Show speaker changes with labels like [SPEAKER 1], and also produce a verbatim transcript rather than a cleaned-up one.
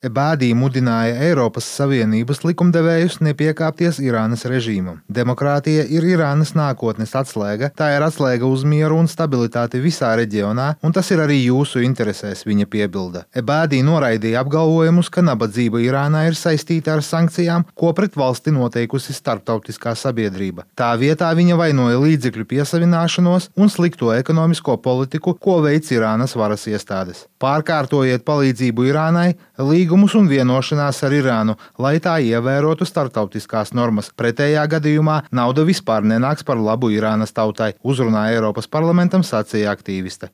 [SPEAKER 1] Ebādī mudināja Eiropas Savienības likumdevējus nepiekāpties Irānas režīmam. Demokrātija ir Irānas nākotnes atslēga, tā ir atslēga uz mieru un stabilitāti visā reģionā, un tas ir arī jūsu interesēs, viņa piebilda. Ebādī noraidīja apgalvojumus, ka nabadzība Irānā ir saistīta ar sankcijām, ko pret valsti noteikusi starptautiskā sabiedrība. Tā vietā viņa vainoja līdzekļu piesavināšanos un slikto ekonomisko politiku, ko veic Irānas varas iestādes. Pārkārtojiet palīdzību Irānai, līgumus un vienošanās ar Irānu, lai tā ievērotu starptautiskās normas. Pretējā gadījumā nauda vispār nenāks par labu Irānas tautai, uzrunā Eiropas parlamentam sacīja aktīviste.